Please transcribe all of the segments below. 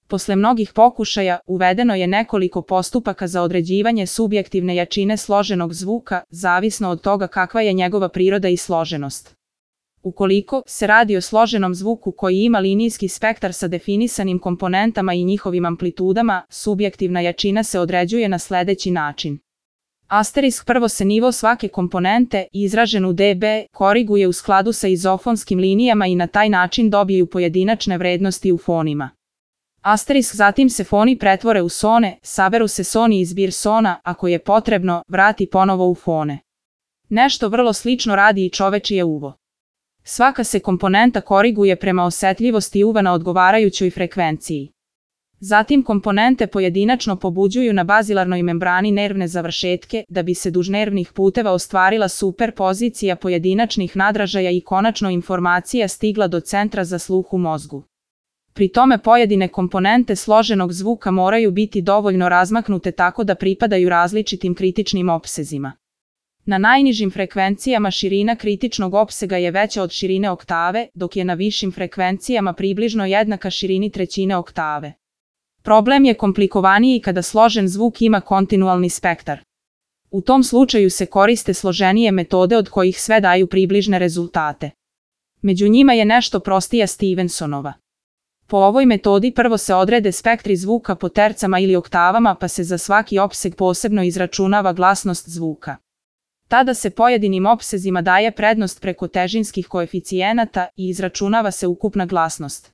Posle mnogih pokušaja, uvedeno je nekoliko postupaka za određivanje subjektivne jačine složenog zvuka, zavisno od toga kakva je njegova priroda i složenost. Ukoliko se radi o složenom zvuku koji ima linijski spektar sa definisanim komponentama i njihovim amplitudama, subjektivna jačina se određuje na sledeći način. Prvo se nivo svake komponente, izražen u dB, koriguje u skladu sa izofonskim linijama i na taj način dobiju pojedinačne vrednosti u fonima. Zatim se foni pretvore u sone, saberu se soni i zbir sona, ako je potrebno, vrati ponovo u fone. Nešto vrlo slično radi i čovečije uvo. Svaka se komponenta koriguje prema osetljivosti uva na odgovarajućoj frekvenciji. Zatim komponente pojedinačno pobuđuju na bazilarnoj membrani nervne završetke, da bi se duž nervnih puteva ostvarila superpozicija pojedinačnih nadražaja i konačno informacija stigla do centra za sluh u mozgu. Pri tome pojedine komponente složenog zvuka moraju biti dovoljno razmaknute tako da pripadaju različitim kritičnim opsezima. Na najnižim frekvencijama širina kritičnog opsega je veća od širine oktave, dok je na višim frekvencijama približno jednaka širini trećine oktave. Problem je komplikovaniji kada složen zvuk ima kontinualni spektar. U tom slučaju se koriste složenije metode od kojih sve daju približne rezultate. Među njima je nešto prostija Stevensonova. Po ovoj metodi prvo se odrede spektri zvuka po tercama ili oktavama pa se za svaki opseg posebno izračunava glasnost zvuka. Tada se pojedinim opsezima daje prednost preko težinskih koeficijenata i izračunava se ukupna glasnost.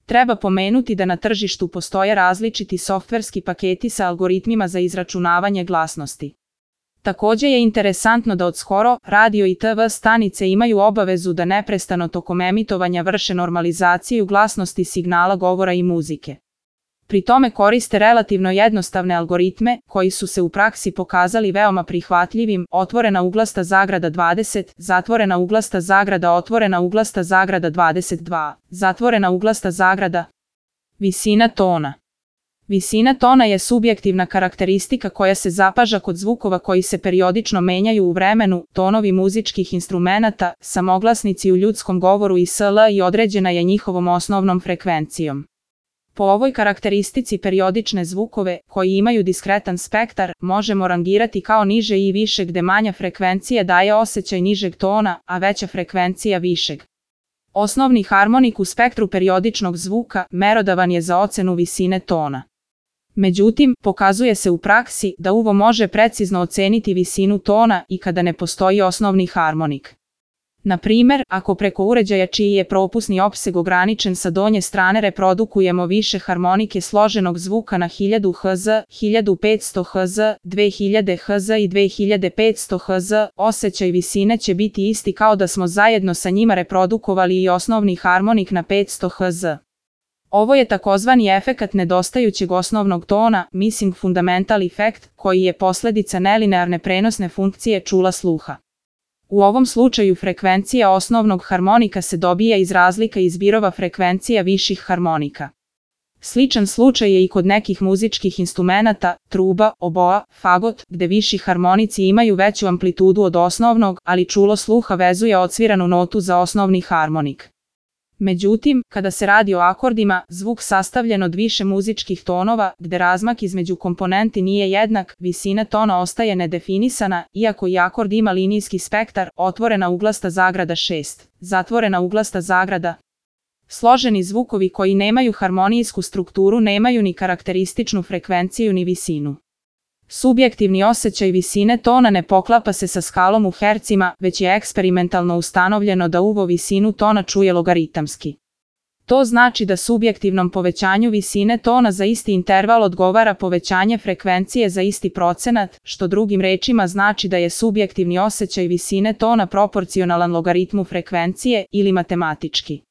Treba pomenuti da na tržištu postoje različiti softverski paketi sa algoritmima za izračunavanje glasnosti. Takođe je interesantno da od skoro radio i TV stanice imaju obavezu da neprestano tokom emitovanja vrše normalizaciju glasnosti signala govora i muzike. Pri tome koriste relativno jednostavne algoritme, koji su se u praksi pokazali veoma prihvatljivim, otvorena uglasta zagrada 20, zatvorena uglasta zagrada otvorena uglasta zagrada 22, zatvorena uglasta zagrada. Visina tona. Visina tona je subjektivna karakteristika koja se zapaža kod zvukova koji se periodično menjaju u vremenu, tonovi muzičkih instrumenata, samoglasnici u ljudskom govoru i sl. I određena je njihovom osnovnom frekvencijom. Po ovoj karakteristici periodične zvukove, koji imaju diskretan spektar, možemo rangirati kao niže i više gde manja frekvencija daje osjećaj nižeg tona, a veća frekvencija višeg. Osnovni harmonik u spektru periodičnog zvuka merodavan je za ocenu visine tona. Međutim, pokazuje se u praksi da uvo može precizno oceniti visinu tona i kada ne postoji osnovni harmonik. Na primer, ako preko uređaja čiji je propusni opseg ograničen sa donje strane reprodukujemo više harmonike složenog zvuka na 1000 Hz, 1500 Hz, 2000 Hz i 2500 Hz, osjećaj visine će biti isti kao da smo zajedno sa njima reprodukovali i osnovni harmonik na 500 Hz. Ovo je takozvani efekat nedostajućeg osnovnog tona, missing fundamental effect, koji je posledica nelinearne prenosne funkcije čula sluha. U ovom slučaju frekvencija osnovnog harmonika se dobija iz razlika izbirova frekvencija viših harmonika. Sličan slučaj je i kod nekih muzičkih instrumenata, truba, oboa, fagot, gde viši harmonici imaju veću amplitudu od osnovnog, ali čulo sluha vezuje odsviranu notu za osnovni harmonik. Međutim, kada se radi o akordima, zvuk sastavljen od više muzičkih tonova, gde razmak između komponenti nije jednak, visina tona ostaje nedefinisana, iako i akord ima linijski spektar, otvorena uglasta zagrada 6, zatvorena uglasta zagrada. Složeni zvukovi koji nemaju harmonijsku strukturu nemaju ni karakterističnu frekvenciju ni visinu. Subjektivni osjećaj visine tona ne poklapa se sa skalom u hercima, već je eksperimentalno ustanovljeno da uvo visinu tona čuje logaritamski. To znači da subjektivnom povećanju visine tona za isti interval odgovara povećanje frekvencije za isti procenat, što drugim rečima znači da je subjektivni osjećaj visine tona proporcionalan logaritmu frekvencije ili matematički.